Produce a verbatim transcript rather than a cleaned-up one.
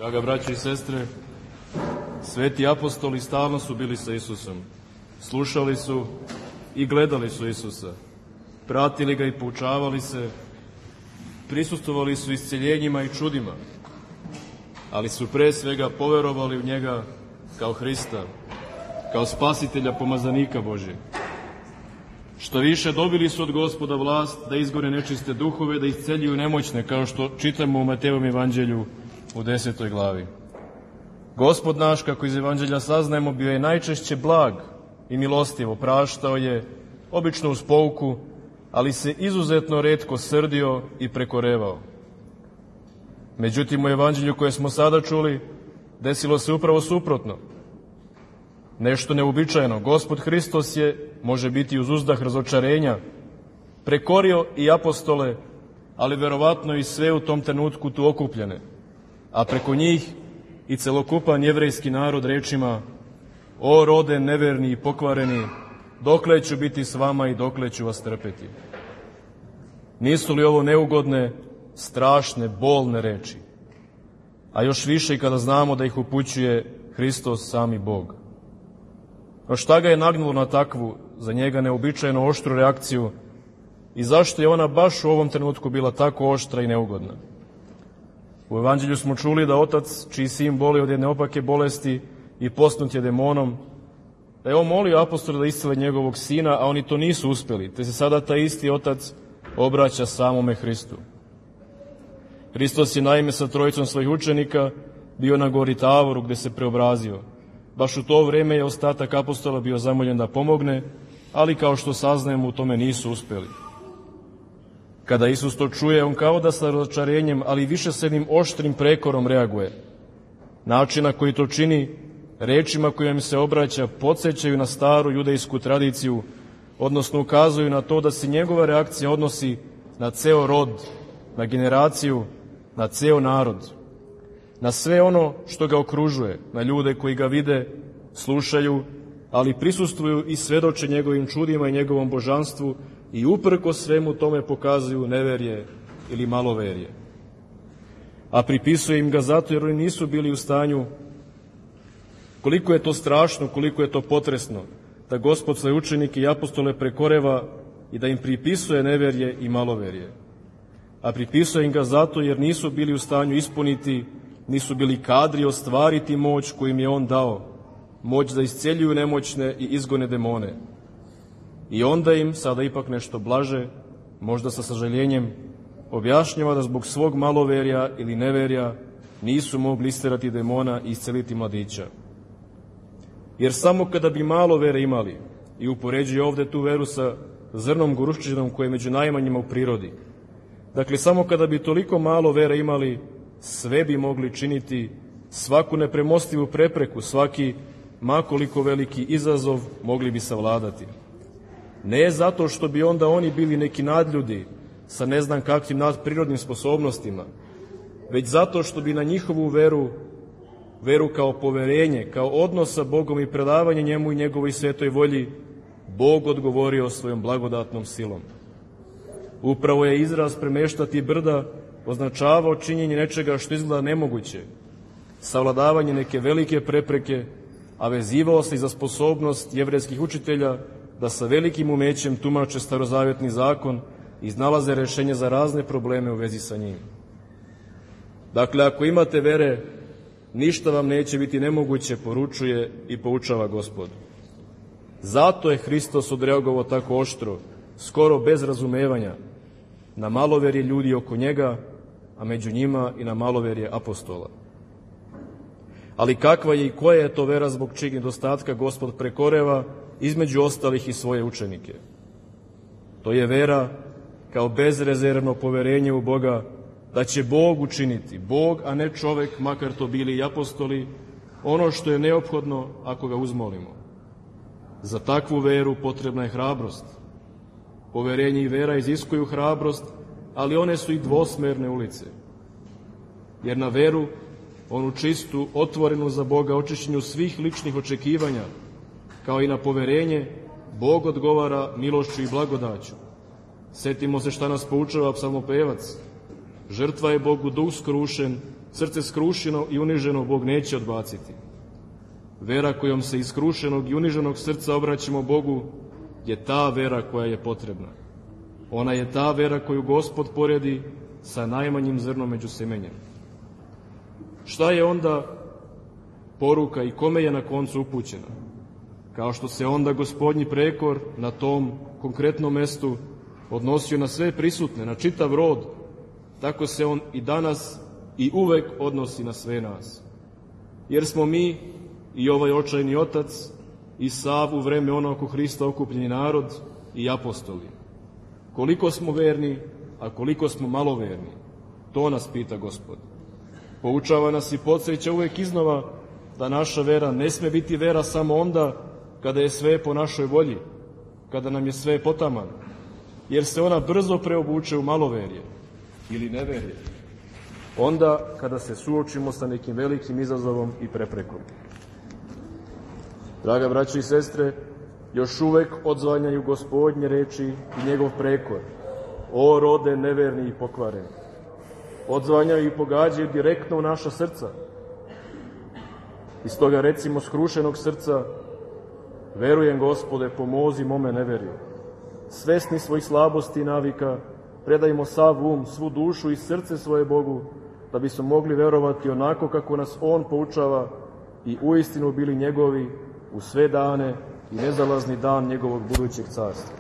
Draga braće i sestre, sveti apostoli stalno su bili sa Isusom. Slušali su i gledali su Isusa. Pratili ga i poučavali se. Prisustvovali su isceljenjima i čudima. Ali su pre svega poverovali u njega kao Hrista, kao spasitelja, pomazanika Božjeg. Što više, dobili su od Gospoda vlast da izgone nečiste duhove, da isceljuju nemoćne, kao što čitamo u Matejevom evanđelju u desetoj glavi. Gospod naš, kako iz evanđelja saznajemo, bio je najčešće blag i milostivo, praštao je, obično uz pouku, ali se izuzetno retko srdio i prekorevao. Međutim, u evanđelju koje smo sada čuli, desilo se upravo suprotno. Nešto neuobičajeno. Gospod Hristos je, može biti uz uzdah razočarenja, prekorio i apostole, ali verovatno i sve u tom trenutku tu okupljene, a preko njih i celokupan jevrejski narod rečima: o rode neverni i pokvareni, dokle ću biti s vama i dokle ću vas trpeti. Nisu li ovo neugodne, strašne, bolne reči? A još više i kada znamo da ih upućuje Hristos, sami Bog. No šta ga je nagnulo na takvu, za njega neobičajno oštru reakciju i zašto je ona baš u ovom trenutku bila tako oštra i neugodna? U evanđelju smo čuli da otac, čiji sin boli od jedne opake bolesti i posnut je demonom, da je on molio apostole da iscele njegovog sina, a oni to nisu uspeli, te se sada taj isti otac obraća samome Hristu. Hristos je naime sa trojicom svojih učenika bio na gori Tavoru, gde se preobrazio. Baš u to vreme je ostatak apostola bio zamoljen da pomogne, ali kao što saznajemo, u tome nisu uspeli. Kada Isus to čuje, on kao da sa razočarenjem, ali više s jednim oštrim prekorom reaguje. Način na koji to čini, rečima kojim se obraća, podsjećaju na staru judejsku tradiciju, odnosno ukazuju na to da se njegova reakcija odnosi na ceo rod, na generaciju, na ceo narod, na sve ono što ga okružuje, na ljude koji ga vide, slušaju, ali prisustvuju i svedoče njegovim čudima i njegovom božanstvu i uprko svemu tome pokazuju neverje ili maloverje. A pripisuje im ga zato jer oni nisu bili u stanju, koliko je to strašno, koliko je to potresno, da Gospod svoje učenike i apostole prekoreva i da im pripisuje neverje i maloverje. A pripisuje im ga zato jer nisu bili u stanju ispuniti, nisu bili kadri ostvariti moć koju im je on dao, moć da isceljuju nemoćne i izgone demone. I onda im, sada ipak nešto blaže, možda sa sažaljenjem, objašnjava da zbog svog maloverja ili neverja nisu mogli isterati demona i isceliti mladića. Jer samo kada bi malo vere imali, i upoređuje ovde tu veru sa zrnom goruščinom koje je među najmanjima u prirodi, dakle, samo kada bi toliko malo vere imali, sve bi mogli činiti, svaku nepremostivu prepreku, svaki makoliko veliki izazov mogli bi savladati. Ne zato što bi onda oni bili neki nadljudi sa ne znam kakvim nadprirodnim sposobnostima, već zato što bi na njihovu veru, veru kao poverenje, kao odnos sa Bogom i predavanje njemu i njegovoj svetoj volji, Bog odgovorio svojom blagodatnom silom. Upravo je izraz premeštati brda označavao činjenje nečega što izgleda nemoguće, savladavanje neke velike prepreke, a vezivao se i za sposobnost jevrejskih učitelja da sa velikim umećem tumače starozavjetni zakon i iznalaze rešenje za razne probleme u vezi sa njim. Dakle, ako imate vere, ništa vam neće biti nemoguće, poručuje i poučava Gospod. Zato je Hristos odreagovao tako oštro, skoro bez razumevanja, na maloverje ljudi oko njega, a među njima i na maloverje apostola. Ali kakva je i koja je to vera zbog čijeg nedostatka Gospod prekoreva, između ostalih i svoje učenike? To je vera kao bezrezervno poverenje u Boga da će Bog učiniti, Bog, a ne čovek, makar to bili i apostoli, ono što je neophodno ako ga uzmolimo. Za takvu veru potrebna je hrabrost. Poverenje i vera iziskuju hrabrost, ali one su i dvosmerne ulice. Jer na veru, onu čistu, otvorenu za Boga, očišćenju svih ličnih očekivanja, kao i na poverenje, Bog odgovara milošću i blagodaću. Setimo se šta nas poučava psalmopevac. Žrtva je Bogu duh skrušen srce skrušeno i uniženo Bog neće odbaciti. Vera kojom se iz skrušenog i uniženog srca obraćamo Bogu je ta vera koja je potrebna. Ona je ta vera koju Gospod poredi sa najmanjim zrnom među semenjem. Šta je onda poruka i kome je na koncu upućena? Kao što se onda Gospodnji prekor na tom konkretnom mestu odnosio na sve prisutne, na čitav rod, tako se on i danas i uvek odnosi na sve nas. Jer smo mi i ovaj očajni otac i sav u vreme ono oko Hrista okupljeni narod i apostoli. Koliko smo verni, a koliko smo malo verni, to nas pita Gospod. Poučava nas i podsjeća uvek iznova da naša vera ne sme biti vera samo onda kada je sve po našoj volji, kada nam je sve potaman, jer se ona brzo preobuče u maloverje ili neverje, onda kada se suočimo sa nekim velikim izazovom i preprekom. Draga braćo i sestre, još uvek odzvanjaju Gospodnje reči i njegov prekor: o rode neverni i pokvareni. Odzvanjaju i pogađaju direktno u naša srca. Iz toga recimo skrušenog srca: verujem, Gospode, pomozi mome neverju. Svesni svojih slabosti i navika, predajmo sav um, svu dušu i srce svoje Bogu, da bismo mogli verovati onako kako nas On poučava i uistinu bili njegovi u sve dane i nezalazni dan njegovog budućeg carstva.